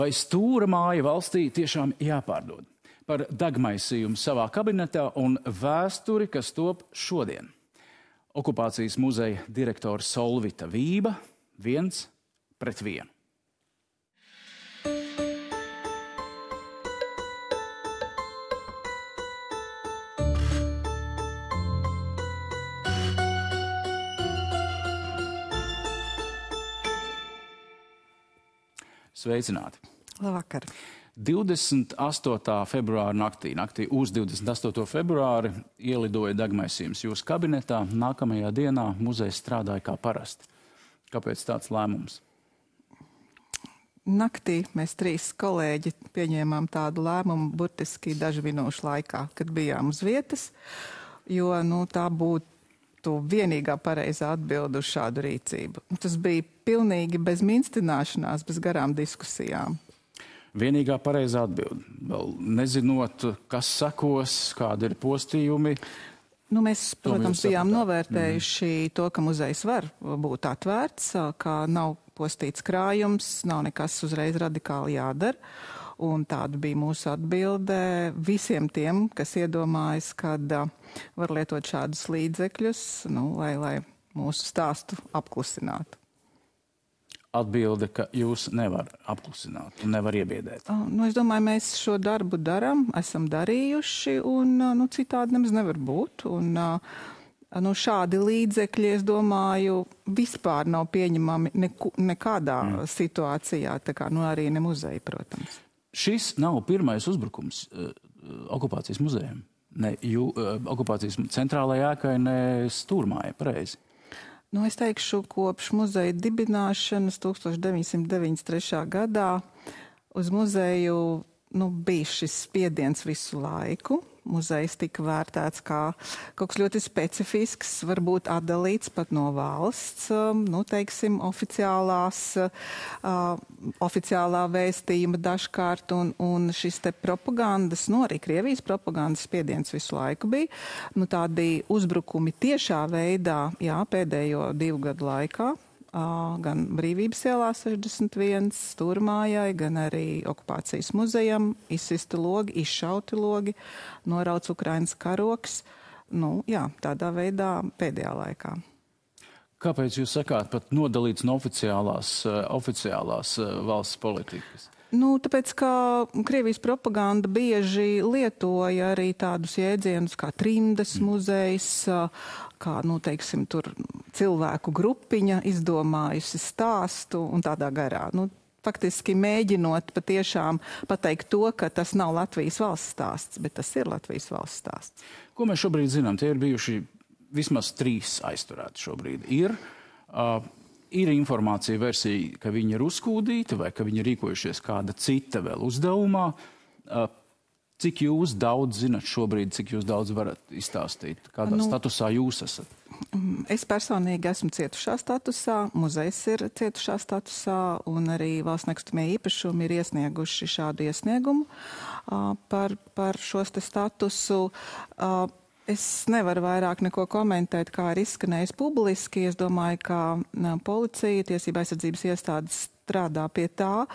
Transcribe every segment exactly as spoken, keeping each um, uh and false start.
Vai stūra māja valstī tiešām jāpārdod? Par degmaisījumu savā kabinetā un vēsturi, kas top šodien. Okupācijas muzeja direktore Solvita Vība, viens pret vienu. Sveicināti! Labvakar! divdesmit astotā februāra naktī, naktī uz divdesmit astoto februāri ielidoja degmaisījums jūsu kabinetā. Nākamajā dienā muzejs strādāja kā parasti. Kāpēc tāds lēmums? Naktī mēs trīs kolēģi pieņēmām tādu lēmumu burtiski dažu minūšu laikā, kad bijām uz vietas, jo nu, tā būtu vienīgā pareizā atbilde uz šādu rīcību. Tas bija pilnīgi bez minstināšanās, bez garām diskusijām. Vienīgā pareizā atbilde. Vēl nezinot, kas sekos, kādi ir postījumi. Nu, mēs, protams, bijām novērtējuši mm. to, ka muzejs var būt atvērts, ka nav postīts krājums, nav nekas uzreiz radikāli jādara. Un tāda bija mūsu atbilde visiem tiem, kas iedomājas, kad var lietot šādus līdzekļus, nu, lai, lai mūsu stāstu apklusinātu. Atbilde, ka jūs nevar apklusināt un nevar iebiedēt. Nu, es domāju, mēs šo darbu daram, esam darījuši, un nu, citādi nemaz nevar būt. Un, nu, šādi līdzekļi, es domāju, vispār nav pieņemami neku, nekādā mm. situācijā, tā kā nu, arī ne muzeja, protams. Šis nav pirmais uzbrukums uh, okupācijas muzejam. Ne jū, uh, okupācijas centrālajā ēkai, ne stūrmājai, pareizi. Nu, es teikšu, kopš muzeja dibināšanas tūkstoš deviņsimt deviņdesmit trešā gadā uz muzeju nu, bija šis spiediens visu laiku. Muzejs tika vērtēts kā kaut kas ļoti specifisks, varbūt atdalīts pat no valsts, nu, teiksim, oficiālās, uh, oficiālā vēstījuma dažkārt, un, un šis te propagandas, nu, arī Krievijas propagandas spiediens visu laiku bija. Nu, tādi uzbrukumi tiešā veidā, jā, pēdējo divu gadu laikā, uh, gan Brīvības ielā sešdesmit viens, Stūrmājai, gan arī okupācijas muzejam, izsisti logi, izšauti logi, norauc Ukrainas karoks, nu, jā, tādā veidā pēdējā laikā. Kāpēc jūs sakāt pat nodalīts no oficiālās, uh, oficiālās uh, valsts politikas? Nu, tāpēc, ka Krievijas propaganda bieži lietoja arī tādus jēdzienus kā trimdas muzejs, kā, nu, teiksim, tur cilvēku grupiņa izdomājusi stāstu un tādā garā. Nu, faktiski mēģinot patiešām pateikt to, ka tas nav Latvijas valsts stāsts, bet tas ir Latvijas valsts stāsts. Ko mēs šobrīd zinām? Tie ir bijuši vismaz trīs aizturēti šobrīd. Ir, uh, ir informācija versija, ka viņi ir uzkūdīti vai ka viņi rīkojušies kāda cita vēl uzdevumā. Uh, cik jūs daudz zinat šobrīd, cik jūs daudz varat izstāstīt? Kādā nu, statusā jūs esat? Es personīgi esmu cietušā statusā, muzejs ir cietušā statusā, un arī valsts nekustamie īpašumi ir iesnieguši šādu iesniegumu uh, par, par šos te statusu. Uh, es nevaru vairāk neko komentēt, kā ir izskanējis publiski. Es domāju, ka uh, policija, tiesība aizsardzības iestādes strādā pie tā,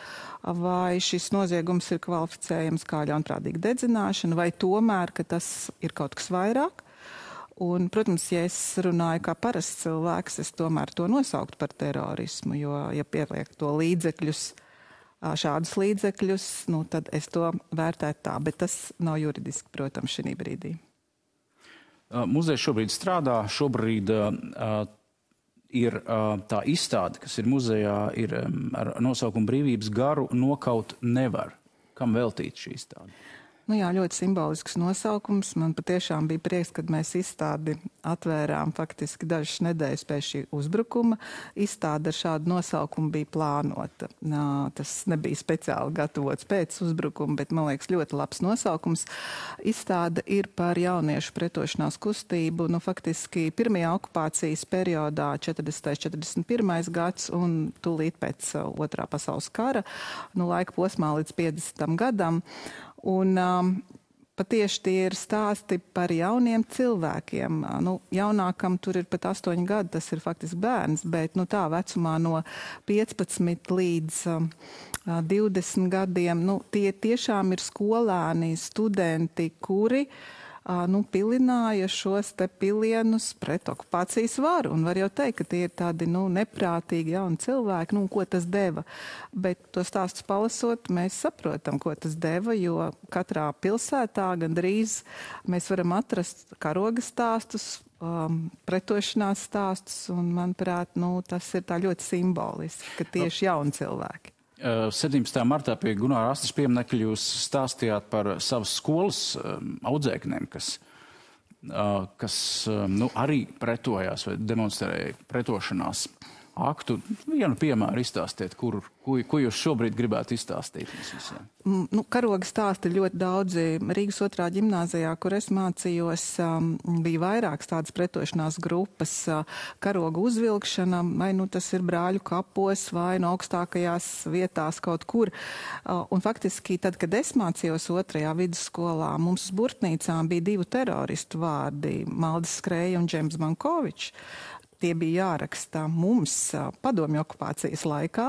vai šis noziegums ir kvalificējams kā ļaunprātīga dedzināšana, vai tomēr, ka tas ir kaut kas vairāk. Un, protams, ja es runāju kā parasts cilvēks, es tomēr to nosauktu par terorismu, jo, ja pieliek to līdzekļus, šādus līdzekļus, nu, tad es to vērtētu tā, bet tas nav juridiski, protams, šī brīdī. Muzejs šobrīd strādā, šobrīd uh, ir uh, tā izstāde, kas ir muzejā, ir um, ar nosaukumu Brīvības garu nokaut nevar. Kam veltīt šī izstāde? Nu jā, ļoti simbolisks nosaukums. Man patiešām bija prieks, kad mēs izstādi atvērām faktiski dažas nedēļas pēc šī uzbrukuma. Izstāde ar šādu nosaukumu bija plānota. Nā, tas nebija speciāli gatavots pēc uzbrukuma, bet, man liekas, ļoti labs nosaukums. Izstāde ir par jauniešu pretošanās kustību, nu faktiski pirmajā okupācijas periodā četrdesmitais četrdesmit pirmais gads un tūlīt pēc otrā pasaules kara, nu laika posmā līdz piecdesmitam gadam. Un um, Patieši tie ir stāsti par jauniem cilvēkiem. Nu, jaunākam tur ir pat astoņi gadi, tas ir faktiski bērns, bet nu, tā vecumā no piecpadsmit līdz um, divdesmit gadiem, nu, tie tiešām ir skolēni, studenti, kuri nu, pilināja šos te pilienus pret okupācijas varu. Un var jau teikt, ka tie ir tādi nu, neprātīgi jauni cilvēki, nu, ko tas deva. Bet to stāstus palasot, mēs saprotam, ko tas deva, jo katrā pilsētā gandrīz mēs varam atrast karoga stāstus, um, pretošanās stāstus, un, manuprāt, nu, tas ir tā ļoti simboliski, ka tieši jauni cilvēki. septiņpadsmitajā martā pie Gunāra Astras pieminekļa jūs stāstījāt par savas skolas um, audzēknēm, kas, uh, kas um, nu, arī pretojās vai demonstrēja pretošanās aktu. Vienu piemēru izstāstiet, kur, ko, ko jūs šobrīd gribētu izstāstīt mums visiem. Nu, karoga stāsti ļoti daudzi. Rīgas otrā ģimnāzijā, kur es mācījos, um, bija vairākas tādas pretošanās grupas. Uh, karoga uzvilkšana, vai nu tas ir brāļu kapos, vai no augstākajās vietās kaut kur. Uh, un faktiski, tad, kad es mācījos otrajā vidusskolā, mums uz burtnīcām bija divu teroristu vārdi - Maldis Skrēja un Džeims Bankovičs. Tie bija jāraksta mums padomju okupācijas laikā,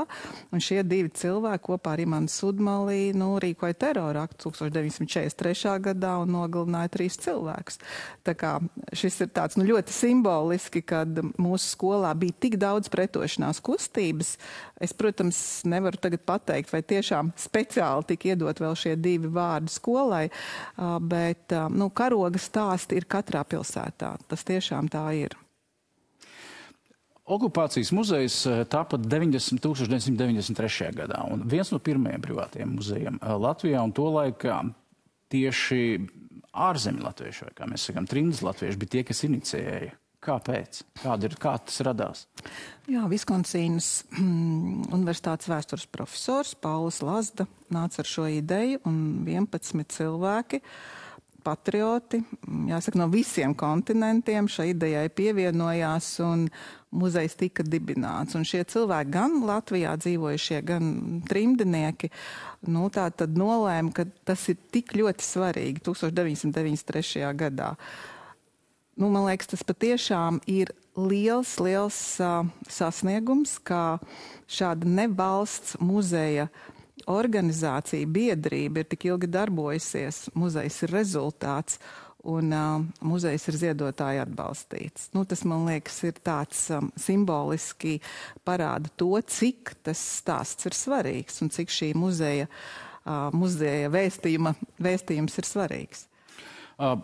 un šie divi cilvēki kopā ar Imanu Sudmalī nu, rīkoja terora aktu tūkstoš deviņi simti četrdesmit trešā gadā un nogalināja trīs cilvēkus. Tā kā šis ir tāds nu, ļoti simboliski, kad mūsu skolā bija tik daudz pretošanās kustības. Es, protams, nevaru tagad pateikt, vai tiešām speciāli tika iedot vēl šie divi vārdi skolai, bet nu, karoga stāsti ir katrā pilsētā. Tas tiešām tā ir. Okupācijas muzejs tāpa tūkstoš deviņsimt deviņdesmit trešajā gadā, un viens no pirmajiem privātiem muzejiem Latvijā, un tolaik tieši ārzemju latvieši, vai kā mēs sakām, trimdas latvieši, bija tie, kas inicijēja. Kāpēc? Kāda ir, kā tas radās? Jā, Viskonsīnas universitātes vēstures profesors Paulis Lazda nāca ar šo ideju, un vienpadsmit cilvēki, patrioti, jāsaka, no visiem kontinentiem šai idejai pievienojās, un muzejs tika dibināts. Un šie cilvēki, gan Latvijā dzīvojušie, gan trimdinieki, nu, tā tad nolēma, ka tas ir tik ļoti svarīgi tūkstoš deviņi simti deviņdesmit trešajā gadā. Nu, man liekas, tas patiešām ir liels, liels uh, sasniegums, kā šāda nevalsts muzeja organizācija, biedrība ir tik ilgi darbojusies, muzejs ir rezultāts, un uh, muzejs ir ziedotāji atbalstīts. Nu, tas, man liekas, ir tāds um, simboliski parāda to, cik tas stāsts ir svarīgs un cik šī muzeja, uh, muzeja vēstījuma, vēstījums ir svarīgs. Uh,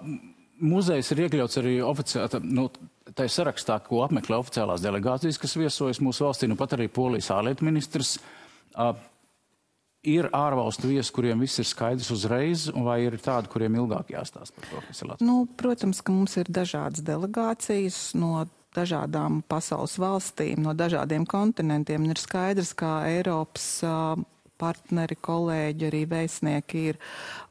muzejs ir iekļauts arī oficiāli, nu, tai sarakstā, ko apmeklē oficiālās delegācijas, kas viesojas mūsu valstī, nu pat arī Polijas ārlietu ministrs. Uh, Ir ārvalstu viesi, kuriem viss ir skaidrs uzreiz, vai ir tādi, kuriem ilgāk jāstāsta par to, kas ir Latvijā? Nu, protams, ka mums ir dažādas delegācijas no dažādām pasaules valstīm, no dažādiem kontinentiem. Ir skaidrs, kā Eiropas uh, partneri, kolēģi, arī vēstnieki ir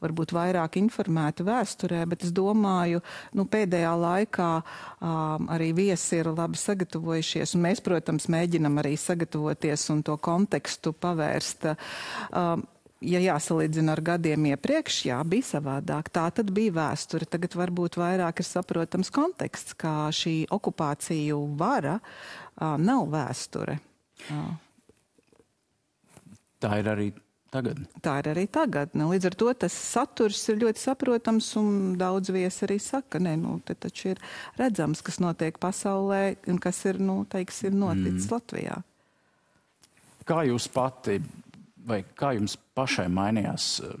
varbūt vairāk informēti vēsturē, bet es domāju, nu, pēdējā laikā um, arī viesi ir labi sagatavojušies, un mēs, protams, mēģinam arī sagatavoties un to kontekstu pavērst. Um, ja jāsalīdzina ar gadiem iepriekš, jā, bija savādāk. Tā tad bija vēsture. Tagad varbūt vairāk ir saprotams konteksts, kā šī okupāciju vara uh, nav vēsture. Uh. Tā ir arī tagad. Tā ir arī tagad. Nu, līdz ar to tas saturs ir ļoti saprotams, un daudz viesi arī saka, nē, nu, te taču ir redzams, kas notiek pasaulē un kas ir, nu, teiksim, noticis mm. Latvijā. Kā jūs pati, vai kā jums pašai mainījās uh,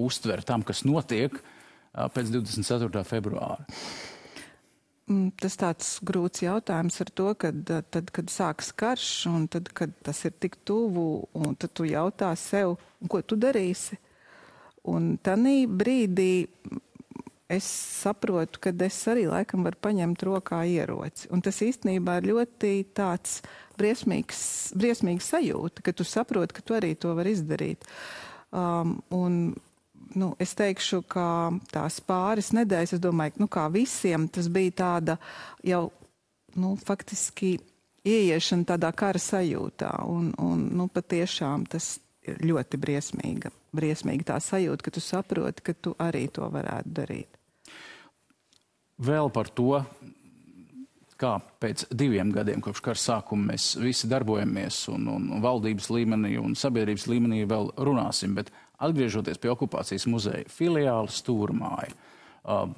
uztver tam, kas notiek uh, pēc divdesmit ceturtā februāra? Tas tāds grūts jautājums ar to, kad, tad, kad sāks karš, un tad, kad tas ir tik tuvu, un tad tu jautā sev, ko tu darīsi. Un tanī brīdī es saprotu, ka es arī laikam varu paņemt rokā ieroci. Un tas īstenībā ir ļoti tāds briesmīgs, briesmīgs sajūta, ka tu saproti, ka tu arī to vari izdarīt. Um, un Nu, es teikšu, ka tās pāris nedēļas, es domāju, nu, kā visiem, tas bija tāda jau, nu, faktiski ieiešana tādā kara sajūtā. Un, un nu, patiešām tas ļoti briesmīga. Briesmīga tā sajūta, ka tu saproti, ka tu arī to varētu darīt. Vēl par to, kā pēc diviem gadiem kopš kara sākuma mēs visi darbojamies un, un valdības līmenī un sabiedrības līmenī vēl runāsim, bet atgriežoties pie okupācijas muzeja filiāla Stūrmāja, uh,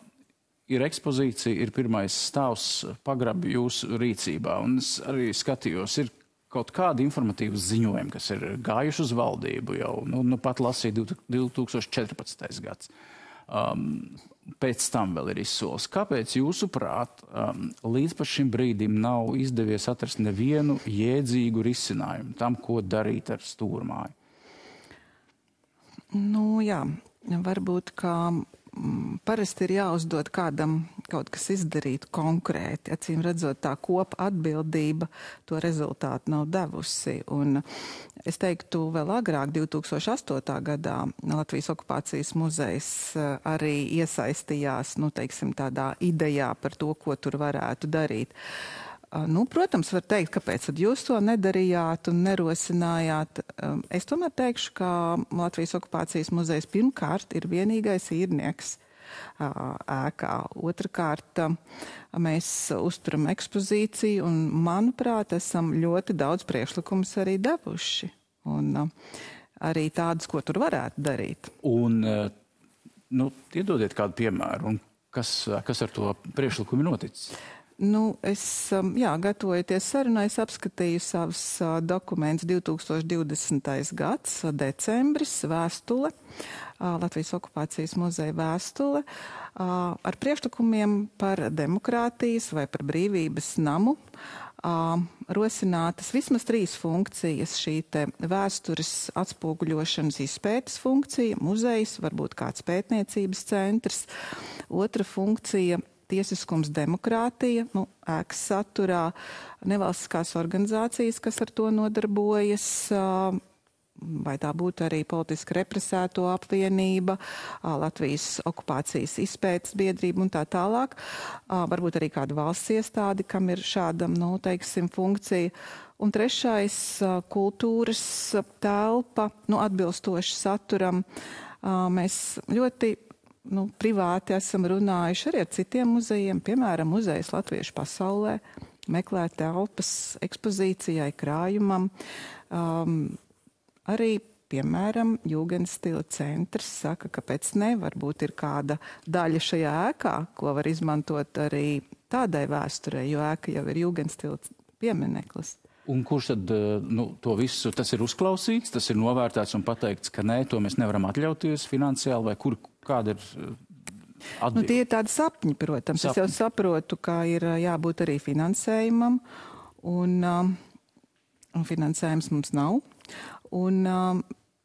ir ekspozīcija, ir pirmais stāvs pagrabi jūsu rīcībā, un es arī skatījos, ir kaut kādi informatīvas ziņojumi, kas ir gājuši uz valdību jau, nu, nu pat lasīja divi tūkstoši četrpadsmitais gads. Um, pēc tam vēl ir izsoles. Kāpēc jūsuprāt um, līdz pat šim brīdim nav izdevies atrast nevienu jēdzīgu risinājumu tam, ko darīt ar Stūrmāju? Nu jā, varbūt kā mm, parasti ir jāuzdod kādam kaut kas izdarīt konkrēti. Acīm redzot, tā kopa atbildība to rezultātu nav devusi. Un es teiktu, vēl agrāk, divi tūkstoši astotā gadā, Latvijas okupācijas muzejs arī iesaistījās, nu, teiksim, tādā idejā par to, ko tur varētu darīt. Nu, protams, var teikt, kāpēc tad jūs to nedarījāt un nerosinājāt. Es tomēr teikšu, ka Latvijas okupācijas muzejs pirmkārt ir vienīgais īrnieks ēkā. Otrakārt, mēs uzturam ekspozīciju un, manuprāt, esam ļoti daudz priekšlikumus arī devuši. Un arī tādus, ko tur varētu darīt. Un, nu, iedodiet kādu piemēru, un kas, kas ar to priekšlikumu noticis? Nu, es, jā, gatavojoties sarunai, es apskatīju savus dokumentus divi tūkstoši divdesmitais gads, decembris, vēstule, Latvijas okupācijas muzeja vēstule, ar priekšlikumiem par demokrātijas vai par brīvības namu, rosinātas vismaz trīs funkcijas, šī te vēstures atspoguļošanas izpētes funkcija, muzejs, varbūt kāds pētniecības centrs, otra funkcija, tiesiskums, demokrātija, nu, ēkas saturā, nevalstiskās organizācijas, kas ar to nodarbojas, vai tā būtu arī politiski represēto apvienība, Latvijas okupācijas izpētes biedrība un tā tālāk. Varbūt arī kāda valsts iestādi, kam ir šāda, nu, teiksim, funkcija. Un trešais, kultūras telpa, nu, atbilstoši saturam. Mēs ļoti Nu, privāti esam runājuši arī ar citiem muzejiem, piemēram, muzejs Latviešu pasaulē, meklēt telpas ekspozīcijai, krājumam. Um, arī, piemēram, Jūgenstila centrs saka, ka pēc ne, varbūt ir kāda daļa šajā ēkā, ko var izmantot arī tādai vēsturei, jo ēka jau ir Jūgenstila piemineklis. Un kurš tad, nu, to visu, tas ir uzklausīts, tas ir novērtēts un pateikts, ka nē, to mēs nevaram atļauties finansiāli, vai kur, kāda ir atbilde? Nu, tie ir tādi sapņi, protams. Sapņi. Es jau saprotu, ka ir jābūt arī finansējumam, un, un finansējums mums nav. Un,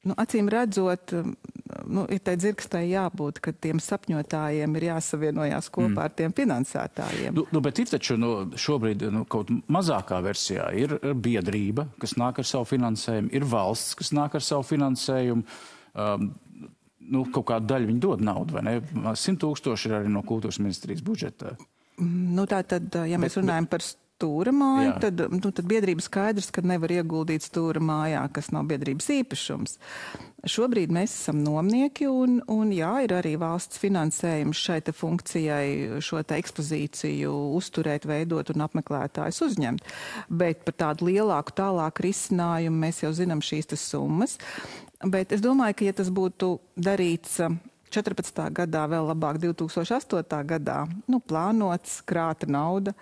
nu, acīm redzot, nu, ir tai dzirkstai jābūt, ka tiem sapņotājiem ir jāsavienojās kopā mm. ar tiem finansētājiem. Nu, nu, bet ir taču nu, šobrīd nu, kaut mazākā versijā ir biedrība, kas nāk ar savu finansējumu, ir valsts, kas nāk ar savu finansējumu. Um, nu, kaut kādu daļu viņi dod naudu, vai ne? Simt tūkstoši ir arī no kultūras ministrijas budžeta. Nu, tā tad, ja mēs bet, runājam par stūra māju, tad, nu, tad biedrība skaidrs, ka nevar ieguldīt stūra mājā, kas nav biedrības īpašums. Šobrīd mēs esam nomnieki un, un jā, ir arī valsts finansējums šai te funkcijai šo te ekspozīciju uzturēt, veidot un apmeklētājus uzņemt. Bet par tādu lielāku, tālāku risinājumu mēs jau zinām šīs te summas. Bet es domāju, ka ja tas būtu darīts četrpadsmitā gadā, vēl labāk divi tūkstoši astotā gadā, nu, plānots, krāta nauda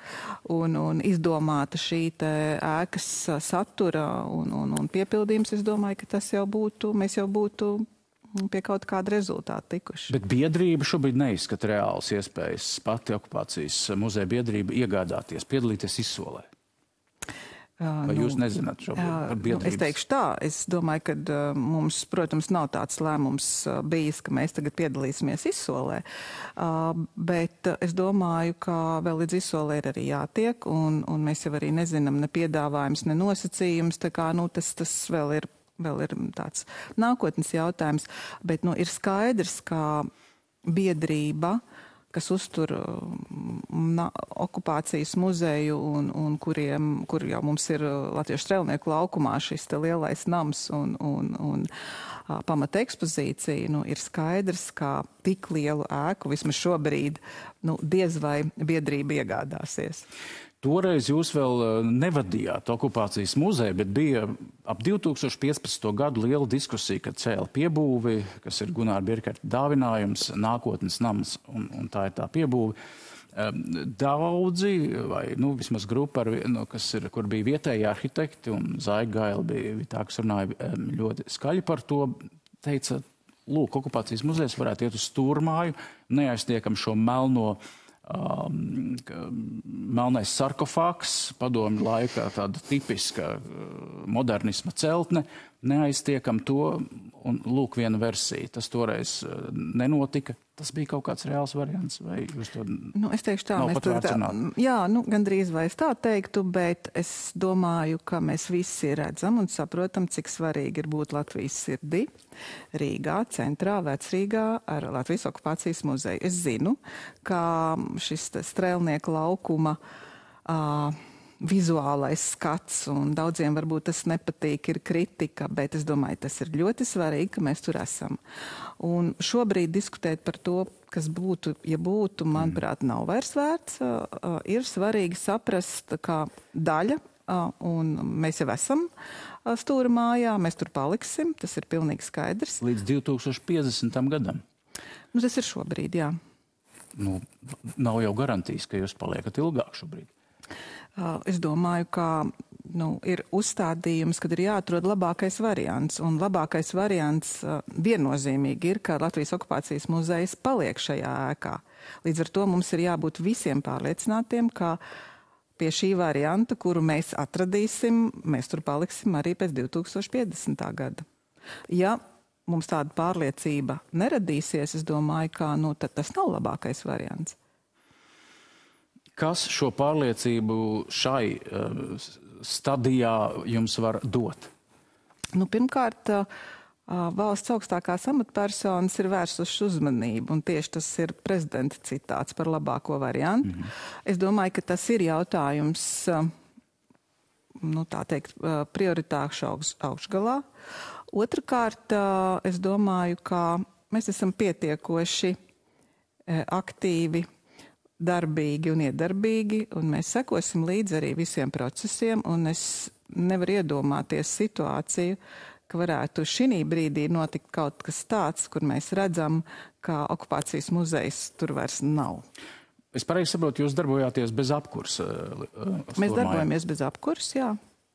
un, un izdomāta šī te ēkas satura un, un, un piepildījums, es domāju, ka tas jau būtu, mēs jau būtu pie kaut kāda rezultāta tikuši. Bet biedrība šobrīd neizskata reāls iespējas pati okupācijas muzeja biedrība iegādāties, piedalīties izsolē. Vai jūs nu, nezināt šo biedrības? Nu, es teikšu tā, es domāju, ka uh, mums, protams, nav tāds lēmums uh, bijis, ka mēs tagad piedalīsimies izsolē, uh, bet uh, es domāju, ka vēl līdz izsolē ir arī jātiek, un, un mēs jau arī nezinām ne piedāvājums, ne nosacījums, tā kā, nu, tas, tas vēl ir, vēl ir tāds nākotnes jautājums, bet, nu, ir skaidrs, ka biedrība kas uztur na, okupācijas muzeju un, un kuriem, kur jau mums ir Latviešu strēlnieku laukumā šis te lielais nams un, un, un a, pamata ekspozīcija, nu, ir skaidrs, ka tik lielu ēku vismaz šobrīd, nu, diez vai biedrība iegādāsies. Toreiz jūs vēl nevadījāt okupācijas muzeju, bet bija ap divi tūkstoši piecpadsmito gadu liela diskusija, kad cēla piebūvi, kas ir Gunāra Birkerta dāvinājums, nākotnes nams, un, un tā ir tā piebūve. Daudzi, vai nu, vismaz grupa, ar, nu, kas ir, kur bija vietēji arhitekti, un Zaiga Gaila bija tā, kas runāja ļoti skaļi par to, teica, lūk, okupācijas muzejs varētu iet uz Stūrmāju, neaiztiekam šo melno Um, melnais sarkofāgs, padomju laikā tāda tipiska modernisma celtne, neaiztiekam to, un lūk viena versija. Tas toreiz nenotika. Tas bija kaut kāds reāls variants, vai jūs to nu, es teikšu tā, nav mēs pat tā, vērcināt? Jā, nu, gandrīz vai es tā teiktu, bet es domāju, ka mēs visi redzam un saprotam, cik svarīgi ir būt Latvijas sirdī, Rīgā, centrā, Vecrīgā ar Latvijas okupācijas muzeju. Es zinu, ka šis strēlnieku laukuma uh, vizuālais skats, un daudziem varbūt tas nepatīk, ir kritika, bet es domāju, tas ir ļoti svarīgi, ka mēs tur esam. Un šobrīd diskutēt par to, kas būtu, ja būtu, manuprāt, nav vairs vērts. Uh, ir svarīgi saprast, kā daļa, uh, un mēs jau esam uh, Stūrmājā, mēs tur paliksim, tas ir pilnīgi skaidrs. Līdz divi tūkstoši piecdesmitam gadam? Nu, tas ir šobrīd, jā. Nu, nav jau garantijas, ka jūs paliekat ilgāk šobrīd. Es domāju, ka nu, ir uzstādījums, kad ir jāatrod labākais variants. Un labākais variants viennozīmīgi ir, ka Latvijas okupācijas muzejs paliek šajā ēkā. Līdz ar to mums ir jābūt visiem pārliecinātiem, ka pie šī varianta, kuru mēs atradīsim, mēs tur paliksim arī pēc divi tūkstoši piecdesmitā gada. Ja mums tāda pārliecība neradīsies, es domāju, ka nu, tad tas nav labākais variants. Kas šo pārliecību šai uh, stadijā jums var dot? Nu, pirmkārt, uh, valsts augstākās amatpersonas ir vērsušas uzmanību, un tieši tas ir prezidenta citāts par labāko variantu. Mm-hmm. Es domāju, ka tas ir jautājums, uh, nu, tā teikt, uh, prioritāšu augš, augšgalā. Otrakārt, uh, es domāju, ka mēs esam pietiekoši uh, aktīvi, darbīgi un iedarbīgi, un mēs sekosim līdzi arī visiem procesiem, un es nevaru iedomāties situāciju, ka varētu šī brīdī notikt kaut kas tāds, kur mēs redzam, ka okupācijas muzejs tur vairs nav. Es pareizi saprotu, jūs darbojāties bez apkursa? Mēs darbojamies bez apkursa, jā,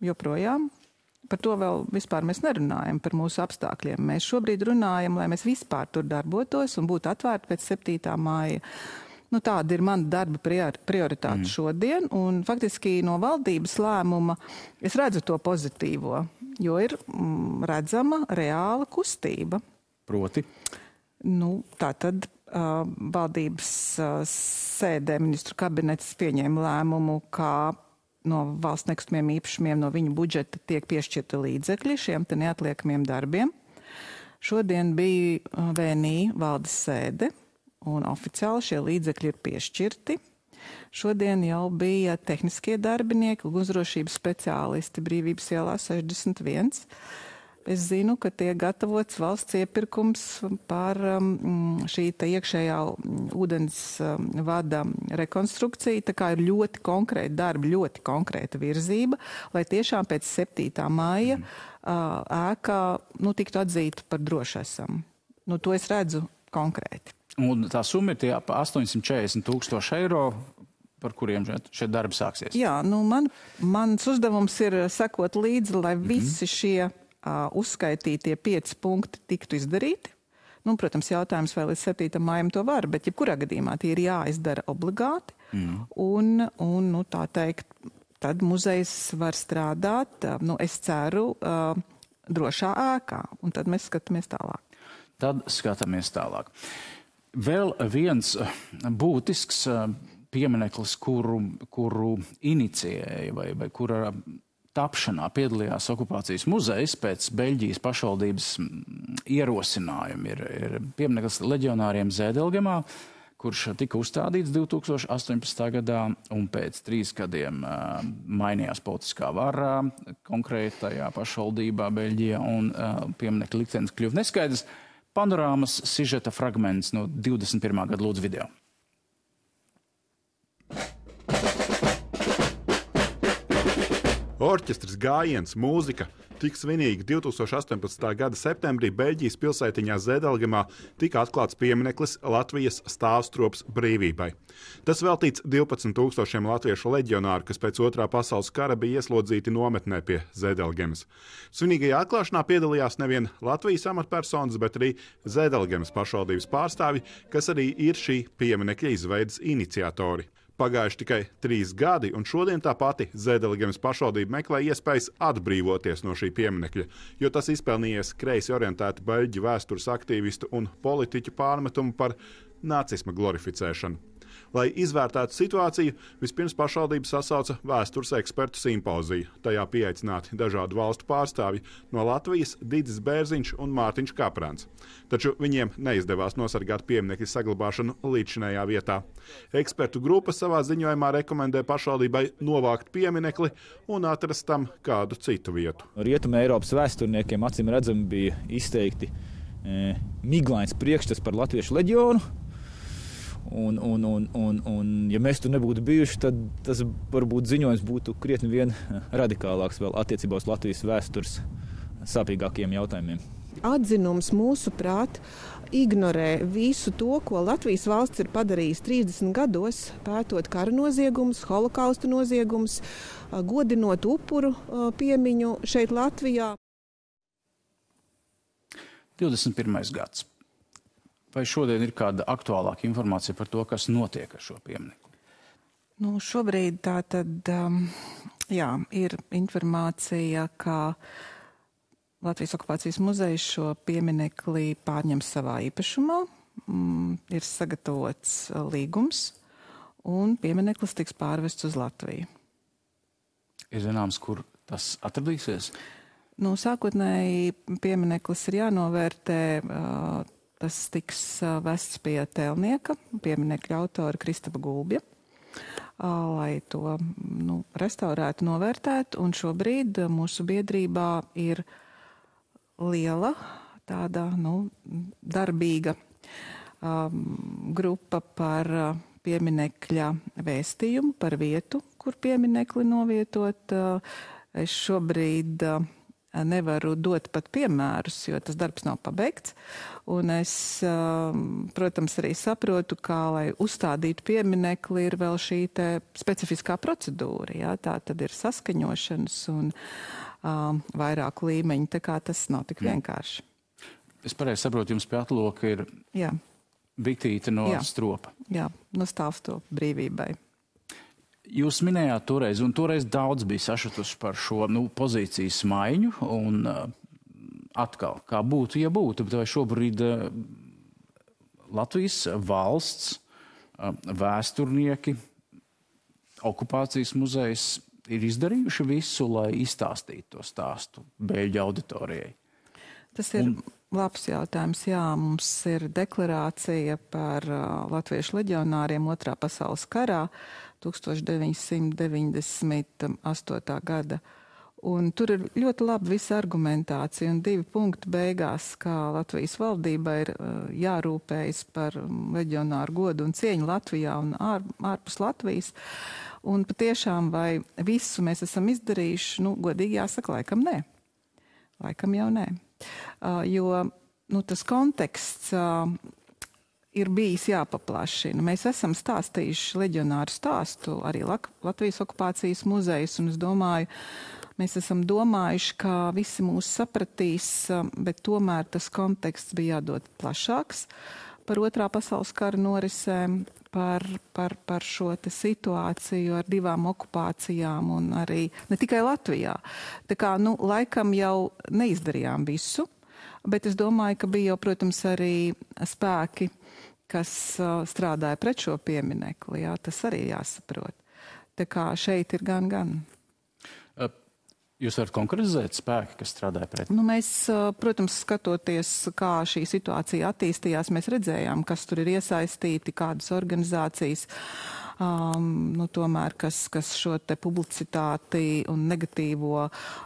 joprojām. Par to vēl vispār mēs nerunājam, par mūsu apstākļiem. Mēs šobrīd runājam, lai mēs vispār tur darbotos un būtu atvērti pēc septītā māja. Nu, tāda ir mana darba prioritāte mm. šodien, un faktiski no valdības lēmuma es redzu to pozitīvo, jo ir mm, redzama reāla kustība. Proti? Nu, tā tad uh, valdības uh, sēdē ministru kabinets pieņēma lēmumu, kā no valsts nekustamiem īpašumiem no viņu budžeta tiek piešķirta līdzekļi šiem te neatliekamiem darbiem. Šodien bija uh, V N I valdes sēde, un oficiāli šie līdzekļi ir piešķirti. Šodien jau bija tehniskie darbinieki, ugunsdrošības speciālisti Brīvības ielā sešdesmit viens. Es zinu, ka tiek gatavots valsts iepirkums par um, šī te iekšējā ūdens um, vada rekonstrukciju. Tā kā ir ļoti konkrēta darba, ļoti konkrēta virzība, lai tiešām pēc septītā māja uh, ēkā nu, tiktu atzīta par drošu esam. Nu, to es redzu konkrēti. Un tā summa ir tie ap astoņsimt četrdesmit tūkstoši eiro, par kuriem šie darbi sāksies. Jā, nu man, mans uzdevums ir sekot līdzi, lai mm-hmm. visi šie uh, uzskaitītie pieci punkti tiktu izdarīti. Nu, protams, jautājums vēl līdz septītam mājam to var, bet jebkurā gadījumā tie ir jāizdara obligāti. Mm. Un, un nu, tā teikt, tad muzejs var strādāt, uh, nu, es ceru, uh, drošā ēkā. Un tad mēs skatāmies tālāk. Tad skatāmies tālāk. Vēl viens būtisks piemineklis, kuru, kuru inicijēja vai, vai kura tapšanā piedalījās okupācijas muzejs pēc Beļģijas pašvaldības ierosinājuma, ir, ir piemineklis leģionāriem Zēdelgemā, kurš tika uzstādīts divi tūkstoši astoņpadsmitā gadā, un pēc trīs gadiem uh, mainījās politiskā vara konkrētajā pašvaldībā Beļģijā, un uh, pieminekļa liktenis kļuva neskaidrs. Panorāmas sižeta fragments no divdesmit pirmā gada lūdzu video. Orķestris, gājiens, mūzika tik svinīgi divi tūkstoši astoņpadsmitā gada septembrī Beļģijas pilsētiņā Zedelgemā tika atklāts piemineklis Latvijas stāvstrops brīvībai. Tas veltīts divpadsmit tūkstošiem latviešu leģionāru, kas pēc otrā pasaules kara bija ieslodzīti nometnē pie Zedelgemas. Svinīgajā atklāšanā piedalījās nevien Latvijas amatpersonas, bet arī Zedelgemas pašvaldības pārstāvi, kas arī ir šī pieminekļa izveidas iniciatori. Pagājuši tikai trīs gadi, un šodien tā pati Zedelgemas pašvaldība meklē iespējas atbrīvoties no šī pieminekļa, jo tas izpelnījies kreisi orientētu beļģu vēstures aktīvistu un politiķu pārmetumu par nacisma glorificēšanu. Lai izvērtētu situāciju, vispirms pašvaldība sasauca vēstures ekspertu simpoziju. Tajā pieaicināti dažādu valstu pārstāvji no Latvijas Didis Bērziņš un Mārtiņš Kaprāns. Taču viņiem neizdevās nosargāt pieminekļa saglabāšanu līdzinējā vietā. Ekspertu grupa savā ziņojumā rekomendē pašvaldībai novākt pieminekli un atrast tam kādu citu vietu. Rietuma Eiropas vēsturniekiem acīm redzami bija izteikti e, miglains priekšstats par latviešu leģionu. Un, un, un, un, un, ja mēs tur nebūtu bijuši, tad tas varbūt ziņojums būtu krietni vien radikālāks vēl attiecībā uz Latvijas vēstures sāpīgākiem jautājumiem. Atzinums mūsuprāt ignorē visu to, ko Latvijas valsts ir padarījis trīsdesmit gados, pētot kara noziegumus, holokausta noziegumus, godinot upuru piemiņu šeit Latvijā. divdesmit pirmais gads. Vai šodien ir kāda aktuālāka informācija par to, kas notiek ar šo pieminekli? Nu, šobrīd tā tad, um, jā, ir informācija, ka Latvijas okupācijas muzejs šo pieminekli pārņem savā īpašumā, mm, ir sagatavots līgums, un piemineklis tiks pārvests uz Latviju. Ir zināms, kur tas atradīsies? Nu, sākotnēji piemineklis ir jānovērtē. Uh, Tas tiks vests pie tēlnieka, pieminekļa autora Kristapa Gulbja, lai to nu, restaurētu, novērtētu. Un šobrīd mūsu biedrībā ir liela, tāda nu, darbīga um, grupa par pieminekļa vēstījumu, par vietu, kur pieminekli novietot. Es šobrīd nevaru dot pat piemērus, jo tas darbs nav pabeigts. Un es, protams, arī saprotu, kā, lai uzstādītu pieminekli, ir vēl šī te specifiskā procedūra. Jā? Tā tad ir saskaņošanas un um, vairāku līmeņu, tā kā tas nav tik vienkārši. Es pareizi saprotu, jums pie atloka ir Jā. bitīte no Jā. stropa. Jā, no stāvstropa brīvībai. Jūs minējāt toreiz, un toreiz daudz bija sašutuši par šo nu, pozīcijas maiņu, un uh, atkal, kā būtu, ja būtu, bet vai šobrīd uh, Latvijas valsts, uh, vēsturnieki, okupācijas muzejs ir izdarījuši visu, lai izstāstītu to stāstu Beļģu auditorijai? Tas ir un... labs jautājums. Jā, mums ir deklarācija par uh, latviešu leģionāriem otrā pasaules karā, tūkstoš deviņsimt deviņdesmit astotā gada. Un tur ir ļoti laba visa argumentācija un divi punkti beigās, kā Latvijas valdība ir uh, jārūpējas par leģionāru godu un cieņu Latvijā un ār, ārpus Latvijas. Un patiešām vai visu mēs esam izdarījuši, nu, godīgi jāsaka, laikam nē. Laikam jau nē. Uh, jo nu, tas konteksts uh, ir bijis jāpaplašina. Mēs esam stāstījuši leģionāru stāstu, arī Latvijas okupācijas muzejs, un es domāju, mēs esam domājuši, ka visi mūs sapratīs, bet tomēr tas konteksts bija jādod plašāks par otrā pasaules kara norisēm, par, par, par šo te situāciju ar divām okupācijām un arī ne tikai Latvijā. Tā kā, nu, laikam jau neizdarījām visu, bet es domāju, ka bija jau, protams, arī spēki, kas uh, strādāja pret šo pieminekli. Jā, tas arī jāsaprot. Tā kā šeit ir gan, gan. Jūs varat konkretizēt spēki, kas strādāja pret? Nu, mēs, protams, skatoties, kā šī situācija attīstījās, mēs redzējām, kas tur ir iesaistīti, kādas organizācijas, um, nu, tomēr, kas, kas šo te publicitāti un negatīvo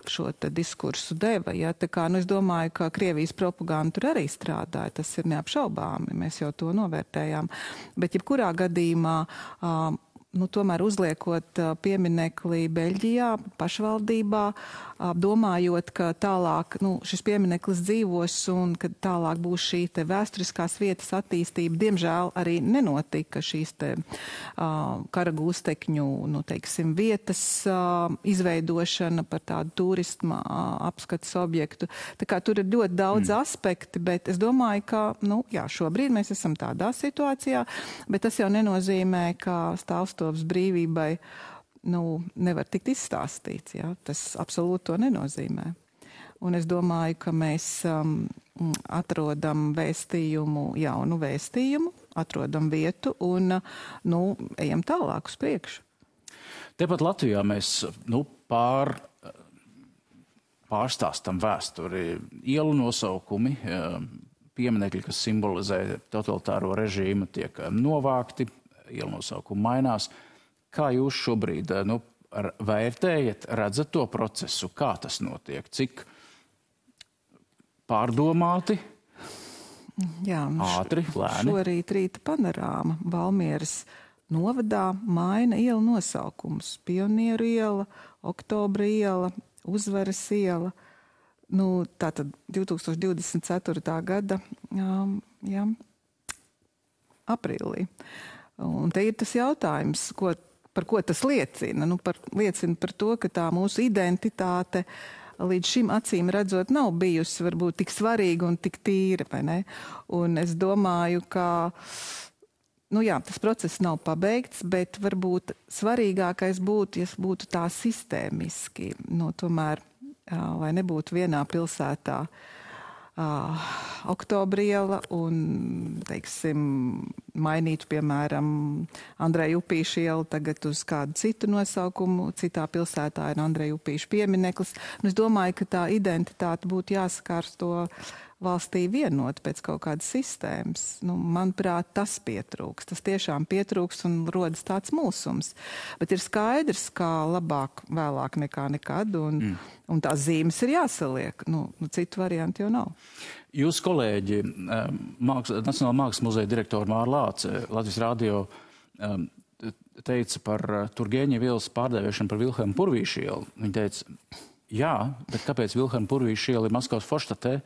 šo te diskursu deva. Ja? Tā kā, nu, es domāju, ka Krievijas propaganda tur arī strādāja, tas ir neapšaubāmi, mēs jau to novērtējām. Bet jebkurā gadījumā um, nu, tomēr uzliekot pieminekli Beļģijā, pašvaldībā, domājot, ka tālāk nu, šis piemineklis dzīvos un ka tālāk būs šī te vēsturiskās vietas attīstība. Diemžēl arī nenotika šīs te uh, kara gūstekņu, nu, teiksim, vietas uh, izveidošana par tādu turisma uh, apskates objektu. Tā kā tur ir ļoti daudz mm. aspekti, bet es domāju, ka, nu, jā, šobrīd mēs esam tādā situācijā, bet tas jau nenozīmē, ka stāvstovs brīvībai nu, nevar tikt izstāstīts. Ja? Tas absolūti to nenozīmē. Un es domāju, ka mēs um, atrodam vēstījumu, jaunu vēstījumu, atrodam vietu un nu, ejam tālāk uz priekšu. Tepat Latvijā mēs nu, pār, pārstāstam vēsturi, ielu nosaukumi, pieminekļi, kas simbolizē totalitāro režīmu, tiek novākti, ielu nosaukumi mainās. Kā jūs šobrīd nu, vērtējat, redzat to procesu, kā tas notiek, cik pārdomāti, Jā, nu, ātri, lēni? Šorīt rīta panorāma Valmieras novadā maina ielu nosaukums. Pionieru iela, Oktobra iela, Uzvaras iela. Nu, tātad divtūkstoš divdesmit ceturtā gada jā, jā, aprīlī. Un te ir tas jautājums, ko par ko tas liecina? Nu, par, liecina par to, ka tā mūsu identitāte līdz šim acīm redzot nav bijusi varbūt tik svarīga un tik tīra, vai ne? Un es domāju, ka nu jā, tas process nav pabeigts, bet varbūt svarīgākais būtu, ja būtu tā sistēmiski, nu, tomēr, lai nebūtu vienā pilsētā Uh, Oktobra iela un, teiksim, mainītu, piemēram, Andreja Upīša ielu tagad uz kādu citu nosaukumu. Citā pilsētā ir Andreja Upīša piemineklis. Un es domāju, ka tā identitāte būtu jāsakārto valstī vienot pēc kaut kādas sistēmas. Nu, manuprāt, tas pietrūks. Tas tiešām pietrūks un rodas tāds mulsums. Bet ir skaidrs, kā labāk vēlāk nekā nekad, un, mm. un tās zīmes ir jāsaliek. Nu, nu, citu variantu jau nav. Jūsu kolēģi, māks, Nacionālā mākslas muzeja direktora Māra Lāce, Latvijas radio teica par Turgeņeva ielas pārdēvēšanu par Vilhelma Purvīša ielu. Viņa teica, jā, bet kāpēc Vilhelma Purvīša iela ir Maskavas Forštatē?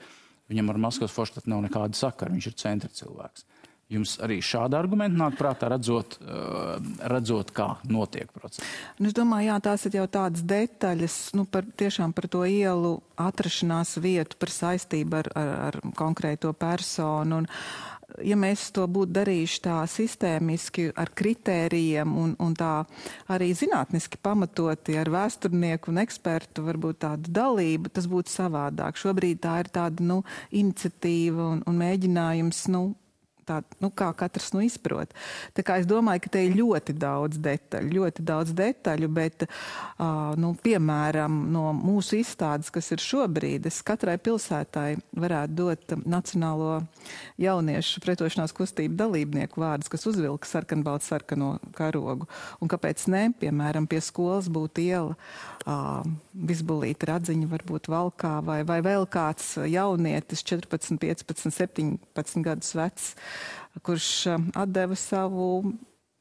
Viņam ar Maskavas Forštatu nav nekāda sakara, viņš ir centra cilvēks. Jums arī šāda argumenta nāk prātā, redzot, uh, redzot kā notiek process? Nu, es domāju, jā, tās ir jau tādas detaļas, nu, par, tiešām par to ielu atrašanās vietu, par saistību ar, ar, ar konkrēto personu. Un, ja mēs to būtu darījuši tā sistēmiski ar kritērijiem un, un tā arī zinātniski pamatoti ar vēsturnieku un ekspertu varbūt tādu dalību, tas būtu savādāk. Šobrīd tā ir tāda, nu, iniciatīva un, un mēģinājums, nu, tā, nu, kā katrs nu izprot. Tā kā es domāju, ka te ir ļoti daudz detaļu, ļoti daudz detaļu, bet, uh, nu, piemēram, no mūsu izstādes, kas ir šobrīd, es katrai pilsētai varētu dot Nacionālo jauniešu pretošanās kustību dalībnieku vārdus, kas uzvilka sarkanbaltu sarkano karogu. Un kāpēc ne, piemēram, pie skolas būtu iela, uh, Vizbulīta Radziņa varbūt valkā, vai, vai vēl kāds jaunietis, četrpadsmit, piecpadsmit, septiņpadsmit gadus vecs, kurš atdeva savu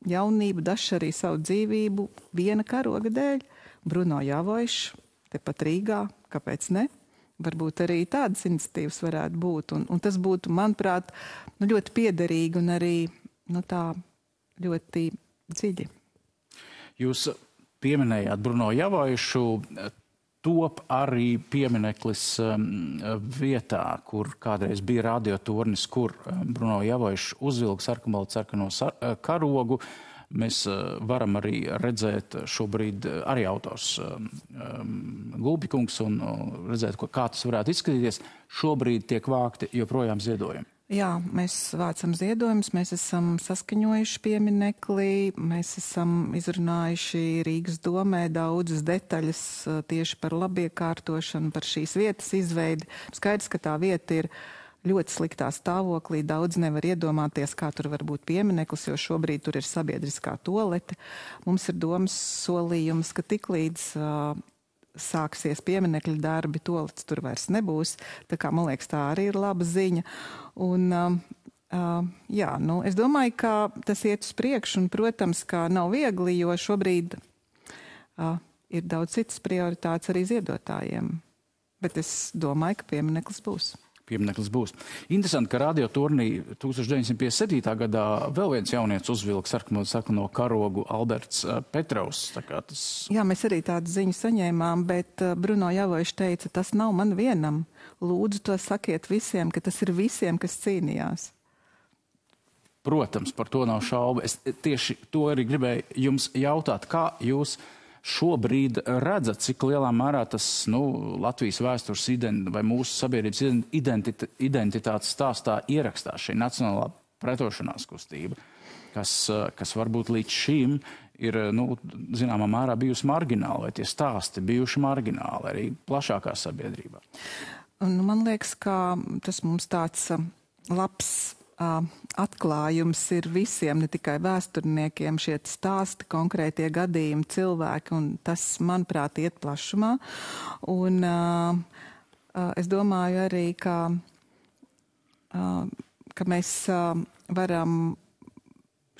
jaunību, dažs arī savu dzīvību viena karoga dēļ. Bruno Javojšs, tepat Rīgā, kāpēc ne? Varbūt arī tādas iniciatīvas varētu būt. Un, un tas būtu, manuprāt, nu, ļoti piederīgi un arī nu, tā ļoti dziļi. Jūs pieminējāt Bruno Javojšu. Top arī piemineklis um, vietā, kur kādreiz bija radiotornis, kur um, Bruno Javojšs uzvilka sarkanbaltu sarkano sar karogu. Mēs uh, varam arī redzēt šobrīd uh, arī autors um, Gulbikungs un uh, redzēt, ko, kā tas varētu izskatīties. Šobrīd tiek vākti joprojām ziedojumi. Jā, mēs vācam ziedojumus, mēs esam saskaņojuši pieminekli, mēs esam izrunājuši Rīgas domē daudzas detaļas tieši par labiekārtošanu, par šīs vietas izveidi. Skaidrs, ka tā vieta ir ļoti sliktā stāvoklī, daudz nevar iedomāties, kā tur var būt piemineklis, jo šobrīd tur ir sabiedriskā toalete. Mums ir domas solījums, ka tiklīdz uh, sāksies pieminekļa darbi, toalets tur vairs nebūs. Tā kā, man liekas, tā arī ir laba ziņa. Un, uh, uh, jā, nu, es domāju, ka tas iet uz priekšu, un, protams, ka nav viegli, jo šobrīd uh, ir daudz citas prioritātes arī ziedotājiem. Bet es domāju, ka piemineklis būs. Piemineklis būs. Interesanti, ka Radio turnī tūkstoš deviņsimt piecdesmit septītā gadā vēl viens jaunietis uzvilka sarkano, sarkano karogu Alberts Petrovs. Tā kā tas... Jā, mēs arī tādu ziņu saņēmām, bet Bruno Javovičs teica, tas nav man vienam. Lūdzu, to sakiet visiem, ka tas ir visiem, kas cīnījās. Protams, par to nav šaubu. Es tieši to arī gribēju jums jautāt, kā jūs šobrīd redzat, cik lielā mērā tas nu, Latvijas vēstures identi, vai mūsu sabiedrības identit, identitātes stāstā ierakstās šī nacionālā pretošanās kustība, kas, kas varbūt līdz šim ir nu, zināmā mērā bijusi margināla, vai tie stāsti bijuši margināli arī plašākā sabiedrībā. Un man liekas, ka tas mums tāds labs atklājums ir visiem, ne tikai vēsturniekiem, šie stāsti, konkrētie gadījumi, cilvēki, un tas, manuprāt, iet plašumā. Un uh, uh, es domāju arī, ka, uh, ka mēs uh, varam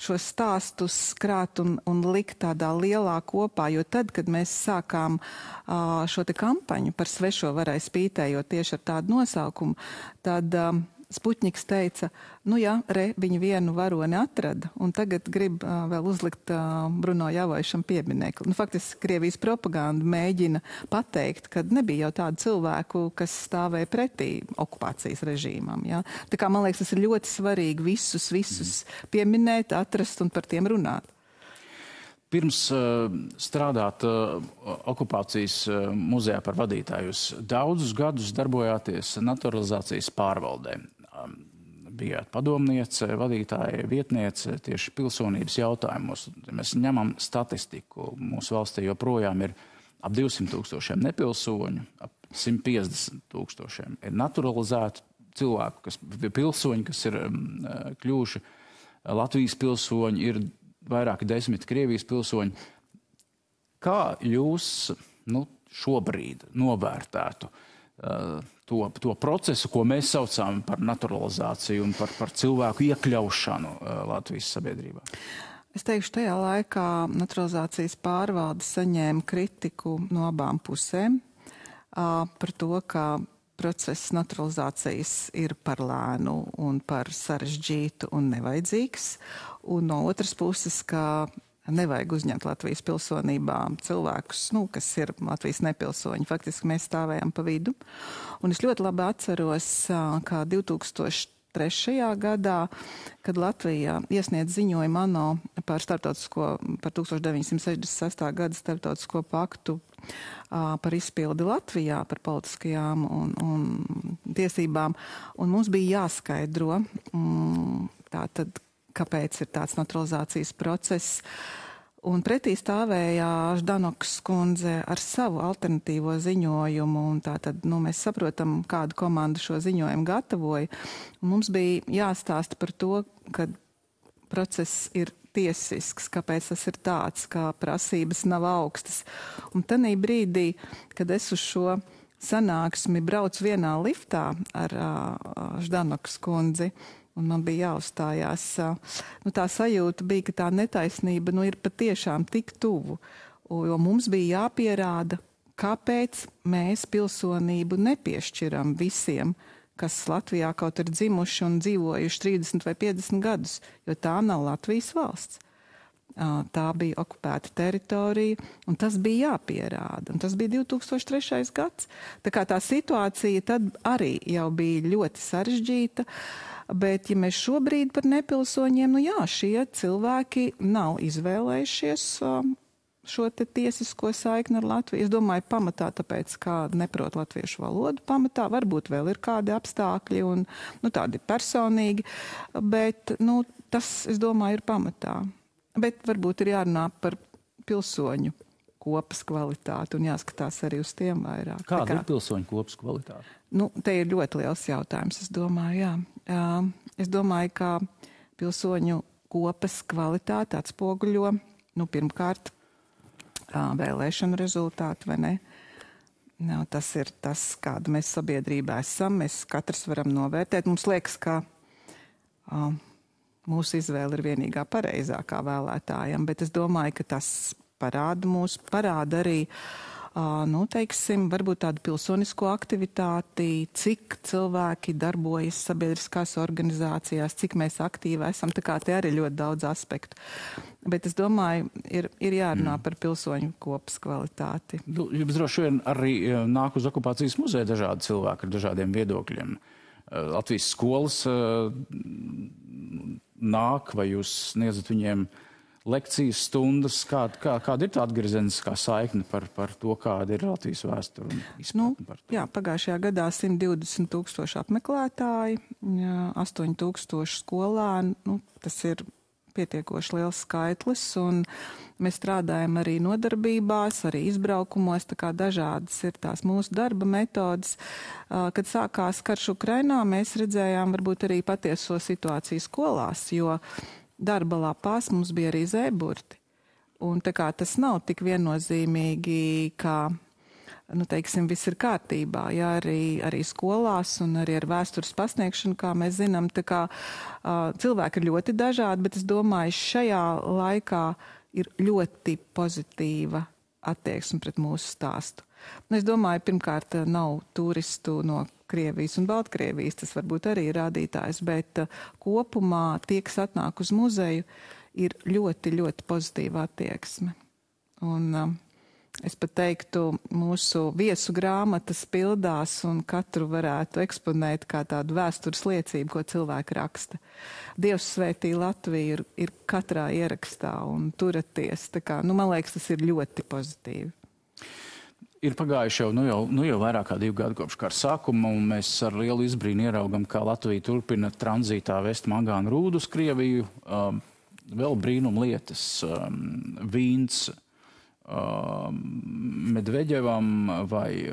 šos stāstus krāt un, un likt tādā lielā kopā, jo tad, kad mēs sākām uh, šo te kampaņu par svešo varai spītējot tieši ar tādu nosaukumu, tad uh, Spuķņiks teica, nu jā, re, viņi vienu varoni atrada, un tagad grib uh, vēl uzlikt uh, Bruno Javovičam pieminekli. Nu, faktiski Krievijas propaganda mēģina pateikt, ka nebija jau tādu cilvēku, kas stāvēja pretī okupācijas režīmam. Ja? Tā kā, man liekas, tas ir ļoti svarīgi visus, visus pieminēt, atrast un par tiem runāt. Pirms uh, strādāt uh, okupācijas uh, muzejā par vadītāju, jūs daudzus gadus darbojāties naturalizācijas pārvaldē. Um, bijāt padomniece, vadītāja, vietniece tieši pilsonības jautājumos. Mēs ņemam statistiku. Mūsu valstī joprojām ir ap divsimt tūkstošiem nepilsoņu, ap simt piecdesmit tūkstošiem ir naturalizētu cilvēku, kas pilsoņi, kas ir um, kļuvuši Latvijas pilsoņi, ir vairāki desmit Krievijas pilsoņi. Kā jūs nu, šobrīd novērtētu uh, to, to procesu, ko mēs saucām par naturalizāciju un par, par cilvēku iekļaušanu uh, Latvijas sabiedrībā? Es teikšu, tajā laikā naturalizācijas pārvalde saņēma kritiku no abām pusēm uh, par to, ka process naturalizācijas ir par lēnu un par sarežģītu un nevajadzīgs. Un no otras puses, ka nevajag uzņemt Latvijas pilsonībā cilvēkus, nu, kas ir Latvijas nepilsoņi. Faktiski mēs stāvējām pa vidu. Un es ļoti labi atceros, kā divtūkstoš trešajā gadā, kad Latvija iesniedz ziņojumu ANO par starptautisko, par tūkstoš deviņsimt sešdesmit sestā gada starptautisko paktu uh, par izpildi Latvijā, par politiskajām un, un tiesībām. Un mums bija jāskaidro, mm, tātad, kāpēc ir tāds naturalizācijas process. Un pretī stāvēja Ždanokas kundze ar savu alternatīvo ziņojumu, un tātad, nu, mēs saprotam, kādu komandu šo ziņojumu gatavoja. Un mums bija jāstāsta par to, ka process ir tiesisks, kāpēc tas ir tāds, ka prasības nav augstas. Un tanī brīdī, kad es uz šo sanāksmi braucu vienā liftā ar uh, Ždanokas kundzi, un man bija jāuzstājās. Nu, tā sajūta bija, ka tā netaisnība nu, ir patiešām tik tuvu, jo mums bija jāpierāda, kāpēc mēs pilsonību nepiešķiram visiem, kas Latvijā kaut ir dzimuši un dzīvojuši trīsdesmit vai piecdesmit gadus, jo tā nav Latvijas valsts. Tā bija okupēta teritorija, un tas bija jāpierāda. Un tas bija divtūkstoš trešais gads. Tā kā tā situācija tad arī jau bija ļoti sarežģīta. Bet, ja mēs šobrīd par nepilsoņiem, nu jā, šie cilvēki nav izvēlējušies uh, šo te tiesisko saikni ar Latviju. Es domāju, pamatā tāpēc, kā neprot latviešu valodu, pamatā varbūt vēl ir kādi apstākļi un nu, tādi personīgi, bet nu, tas, es domāju, ir pamatā. Bet varbūt ir jārunā par pilsoņu kopas kvalitāti un jāskatās arī uz tiem vairāk. Kāda kā, ir pilsoņu kopas kvalitāte? Nu, te ir ļoti liels jautājums, es domāju, jā. Uh, es domāju, ka pilsoņu kopas kvalitāte atspoguļo, nu, pirmkārt, vēlēšanu rezultātu, vai ne? No, tas ir tas, kāda mēs sabiedrībā esam. Mēs katrs varam novērtēt. Mums liekas, ka uh, mūsu izvēle ir vienīgā pareizākā vēlētājam, bet es domāju, ka tas parāda mūs, parāda arī, uh, nu, teiksim, varbūt tādu pilsonisko aktivitāti, cik cilvēki darbojas sabiedriskās organizācijās, cik mēs aktīvi esam. Tā kā te arī ļoti daudz aspektu. Bet es domāju, ir, ir jārunā mm. par pilsoņu kopas kvalitāti. Jums droši vien arī nāk uz okupācijas muzeja dažādi cilvēki ar dažādiem viedokļiem. Latvijas skolas nāk, vai jūs sniedzat viņiem lekcijas stundas? Kā, kā, kāda ir tā atgriezeniskā saikne par, par to, kāda ir Latvijas vēsture un izpratne nu, par to? Jā, pagājušajā gadā simt divdesmit tūkstoši apmeklētāji, astoņi tūkstoši skolēni. Nu, tas ir pietiekoši liels skaitlis, un mēs strādājam arī nodarbībās, arī izbraukumos, tā kā dažādas ir tās mūsu darba metodas. Kad sākās karš Ukrainā, mēs redzējām varbūt arī patieso situāciju skolās, jo darba lapās mums bija arī zēburti. Un tā kā tas nav tik viennozīmīgi, kā nu, teiksim, viss ir kārtībā, jā, arī, arī skolās un arī ar vēstures pasniegšanu, kā mēs zinām, tā kā uh, cilvēki ir ļoti dažādi, bet es domāju, šajā laikā ir ļoti pozitīva attieksme pret mūsu stāstu. Un es domāju, pirmkārt, nav turistu no Krievijas un Baltkrievijas, tas varbūt arī ir rādītājs, bet uh, kopumā tie, kas atnāk uz muzeju, ir ļoti, ļoti pozitīva attieksme. Un uh, es pat teiktu, mūsu viesu grāmatas pildās un katru varētu eksponēt kā tādu vēstures liecību, ko cilvēki raksta. Dievs svētī Latviju ir, ir katrā ierakstā un turaties. Tā kā, nu, man liekas, tas ir ļoti pozitīvi. Ir pagājuši jau, nu jau, nu jau vairāk kā divu gadu kopš kara sākuma, un mēs ar lielu izbrīnu ieraugam, kā Latvija turpina tranzītā vest mangānu rūdu uz Krieviju. Um, vēl brīnum lietas, um, vīns, Medveģevam vai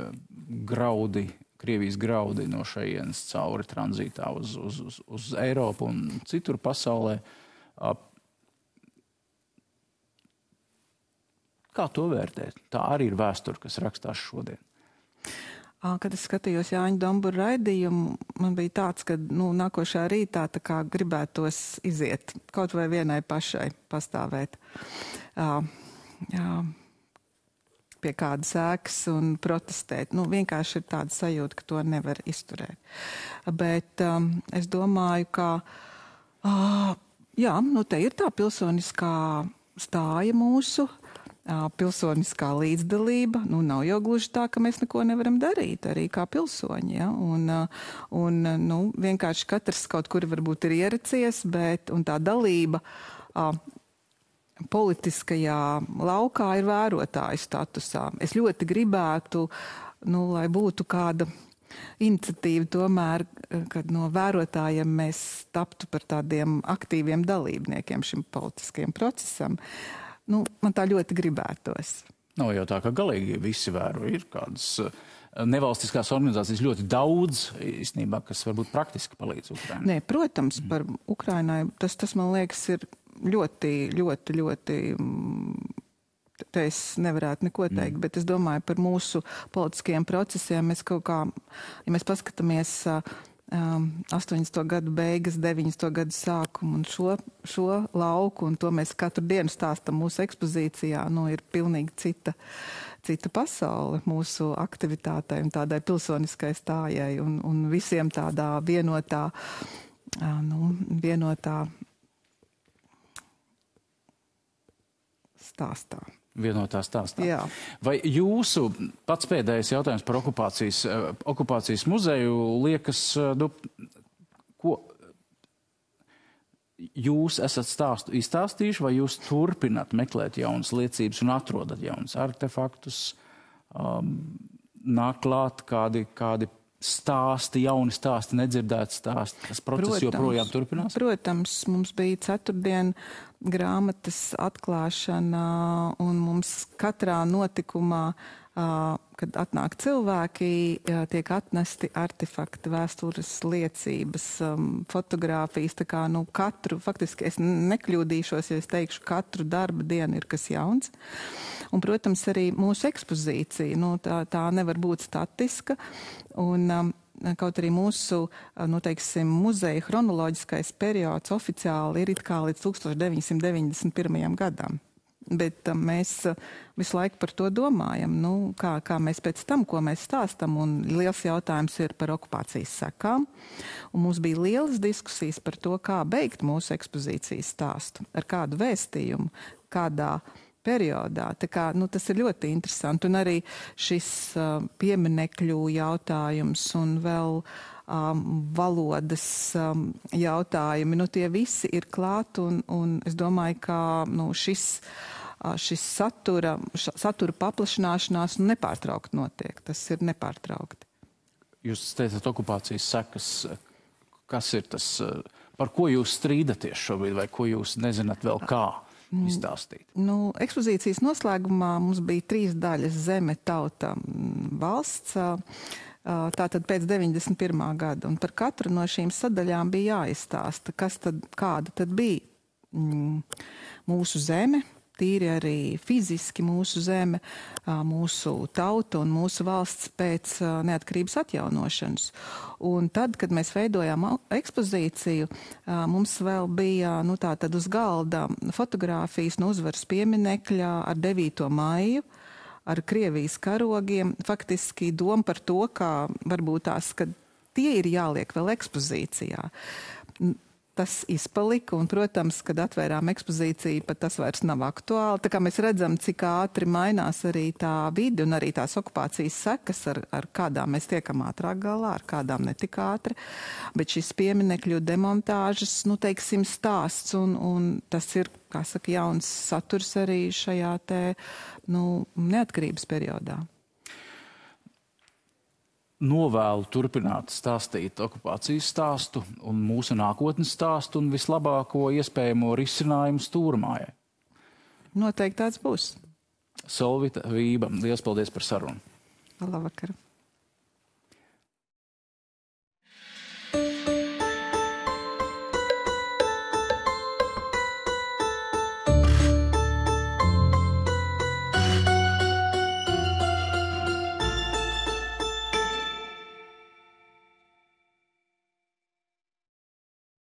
graudi, Krievijas graudi no šejienes cauri tranzītā uz, uz, uz, uz Eiropu un citur pasaulē. Kā to vērtēt? Tā arī ir vēsture, kas rakstās šodien. Kad es skatījos Jāņa Dombura raidījumu, man bija tāds, ka nu, nākošā rītā tā kā gribētos iziet, kaut vai vienai pašai pastāvēt. Jā, jā. Pie kādas ēkas un protestēt. Nu, vienkārši ir tāda sajūta, ka to nevar izturēt. Bet um, es domāju, ka uh, jā, nu te ir tā pilsoniskā stāja mūsu, uh, pilsoniskā līdzdalība. Nu, nav jau gluži tā, ka mēs neko nevaram darīt, arī kā pilsoņi. Ja? Un, uh, un nu, vienkārši katrs kaut kur varbūt ir ieracies, bet un tā dalība uh, politiskajā laukā ir vērotāju statusā. Es ļoti gribētu, nu, lai būtu kāda iniciatīva tomēr, kad no vērotājiem mēs taptu par tādiem aktīviem dalībniekiem šim politiskajam procesam. Nu, man tā ļoti gribētos. Nav jau tā, ka galīgi visi vēro. Ir kādas nevalstiskās organizācijas ļoti daudz, īstenībā, kas varbūt praktiski palīdz Ukrainai. Nē, protams, par Ukrainai tas, tas man liekas, ir ļoti, ļoti, ļoti, te es nevarētu neko teikt, mm. bet es domāju par mūsu politiskajiem procesiem. Mēs kaut kā, ja mēs paskatāmies um, astoņdesmito gadu beigas, deviņdesmito gadu sākumu un šo, šo lauku, un to mēs katru dienu stāstam mūsu ekspozīcijā, nu, ir pilnīgi cita, cita pasaule mūsu aktivitātei un tādai pilsoniskai stājai un, un visiem tādā vienotā, uh, nu, vienotā stāstā. Vienotā stāstā. Jā. Vai jūsu pats pēdējais jautājums par okupācijas, okupācijas muzeju liekas, nu, ko, jūs esat stāstu izstāstījuši, vai jūs turpināt meklēt jaunas liecības un atrodat jaunas artefaktus, um, nāk klāt kādi, kādi stāsti, jauni stāsti, nedzirdēti stāsti. Tas process protams, joprojām turpinās? Protams, mums bija ceturtdien grāmatas atklāšana, un mums katrā notikumā, kad atnāk cilvēki, tiek atnesti artefakti, vēstures liecības, fotogrāfijas, tā kā, nu, katru, faktiski es nekļūdīšos, ja es teikšu, katru darba dienu ir kas jauns. Un, protams, arī mūsu ekspozīcija, nu, tā, tā nevar būt statiska, un um, kaut arī mūsu, nu, teiksim, muzeja chronoloģiskais periods oficiāli ir it kā līdz tūkstoš deviņsimt deviņdesmit pirmajam gadam. Bet um, mēs uh, visu laiku par to domājam, nu, kā, kā mēs pēc tam, ko mēs stāstam, un liels jautājums ir par okupācijas sekām. Un mums bija lielas diskusijas par to, kā beigt mūsu ekspozīcijas stāstu, ar kādu vēstījumu, kādā periodā. Tā kā, nu, tas ir ļoti interesanti. Un arī šis uh, pieminekļu jautājums un vēl um, valodas um, jautājumi, nu, tie visi ir klāt, un, un es domāju, ka nu, šis, uh, šis satura, ša, satura paplašināšanās nu, nepārtraukti notiek. Tas ir nepārtraukti. Jūs teicat okupācijas sekas. Kas ir tas, par ko jūs strīdaties šobrīd, vai ko jūs nezināt vēl kā izstāstīt? Nu, ekspozīcijas noslēgumā mums bija trīs daļas - zeme, tauta, valsts, tātad pēc deviņdesmit pirmā gada. Un par katru no šīm sadaļām bija jāizstāsta, kas tad, kāda tad bija mūsu zeme, tīri arī fiziski mūsu zeme, mūsu tauta un mūsu valsts pēc neatkarības atjaunošanas. Un tad, kad mēs veidojām ekspozīciju, mums vēl bija, nu, tā tad uz galda fotogrāfijas no uzvaras pieminekļa ar devīto maiju, ar Krievijas karogiem. Faktiski doma par to, kā varbūt tās, ka tie ir jāliek vēl ekspozīcijā. Tas izpalika, un, protams, kad atvērām ekspozīciju, pat tas vairs nav aktuāli. Tā kā mēs redzam, cik ātri mainās arī tā vide un arī tās okupācijas sekas, ar, ar kādām mēs tiekam ātrāk galā, ar kādām netik ātri. Bet šis pieminekļu demontāžas, nu, teiksim, stāsts, un, un tas ir, kā saka, jauns saturs arī šajā te, nu, neatkarības periodā. Novēlu turpināt stāstīt okupācijas stāstu un mūsu nākotnes stāstu un vislabāko iespējamo risinājumu stūrmājai. Noteikti tāds būs. Solvita Vība, liels paldies par sarunu. Labvakar.